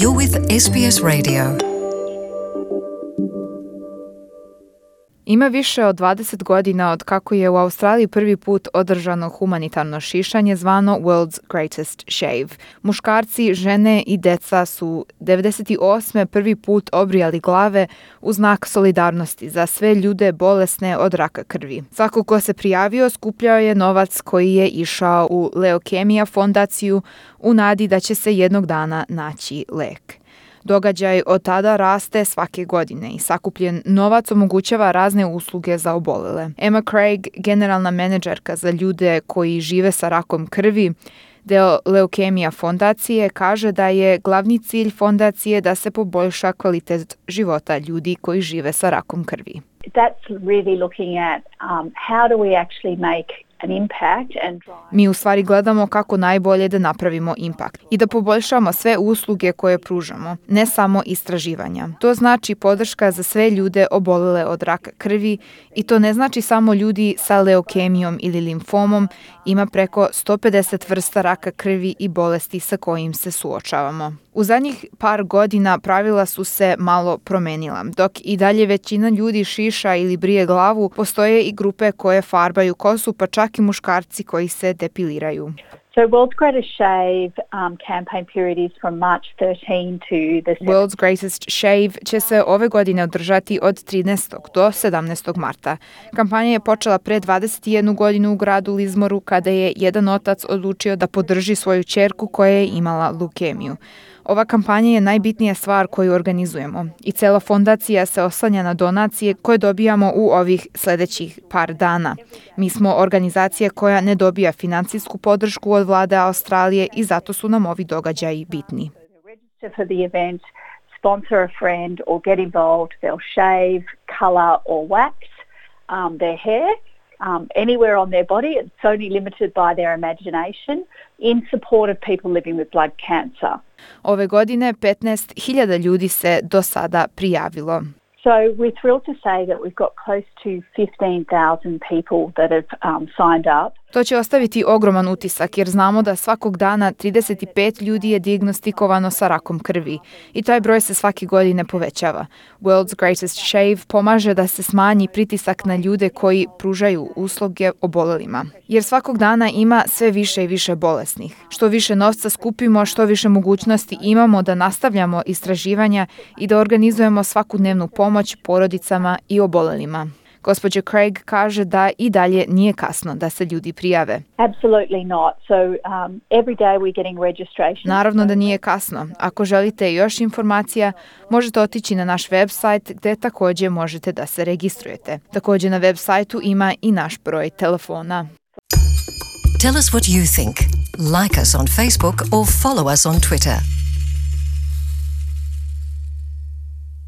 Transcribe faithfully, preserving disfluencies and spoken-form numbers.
You're with S B S Radio. Ima više od dvadeset godina od kako je u Australiji prvi put održano humanitarno šišanje zvano World's Greatest Shave. Muškarci, žene i deca su devedeset osme prvi put obrijali glave u znak solidarnosti za sve ljude bolesne od raka krvi. Svako ko se prijavio skupljao je novac koji je išao u Leukemija fondaciju u nadi da će se jednog dana naći lek. Događaj od tada raste svake godine i sakupljen novac omogućava razne usluge za obolele. Emma Craig, generalna menadžerka za ljude koji žive sa rakom krvi, deo Leukemija fondacije, kaže da je glavni cilj fondacije da se poboljša kvalitet života ljudi koji žive sa rakom krvi. That's really looking at um, how do we actually make an impact and drive. Mi u stvari gledamo kako najbolje da napravimo impakt i da poboljšamo sve usluge koje pružamo, ne samo istraživanja. To znači podrška za sve ljude obolele od raka krvi i to ne znači samo ljudi sa leukemijom ili limfomom, ima preko sto pedeset vrsta raka krvi i bolesti sa kojim se suočavamo. U zadnjih par godina pravila su se malo promenila. Dok i dalje većina ljudi šiša ili brije glavu, postoje i grupe koje farbaju kosu, pa čak i muškarci koji se depiliraju. So World's Greatest Shave um, campaign period is from March thirteenth to the World's Greatest Shave će se ove godine održati od trinaestog do sedamnaestog marta. Kampanja je počela pre dvadeset jednu godinu u gradu Lismoru kada je jedan otac odlučio da podrži svoju ćerku koja je imala leukemiju. Ova kampanja je najbitnija stvar koju organizujemo i cela fondacija se oslanja na donacije koje dobijamo u ovih sljedećih par dana. Mi smo organizacija koja ne dobija financijsku podršku od vlade Australije i zato su nam ovi događaji bitni. For the event, sponsor a friend or get involved. They'll shave, color or wax um, their hair. Um, anywhere on their body. It's only limited by their imagination in support of people living with blood cancer. Ove godine petnaest hiljada ljudi se do sada prijavilo. So we're thrilled to say that we've got close to fifteen thousand people that have um, signed up. To će ostaviti ogroman utisak jer znamo da svakog dana trideset pet ljudi je dijagnostikovano sa rakom krvi i taj broj se svake godine povećava. World's Greatest Shave pomaže da se smanji pritisak na ljude koji pružaju usluge obolelima. Jer svakog dana ima sve više i više bolesnih. Što više novca skupimo, što više mogućnosti imamo da nastavljamo istraživanja i da organizujemo svakodnevnu pomoć porodicama i obolelima. Gospođa Craig kaže da i dalje nije kasno da se ljudi prijave. Absolutely not. So um, every day we're getting registration. Naravno da nije kasno. Ako želite još informacija, možete otići na naš website gdje također možete da se registrujete. Također na web sajtu ima i naš broj telefona. Tell us what you think. Like us on Facebook or follow us on Twitter.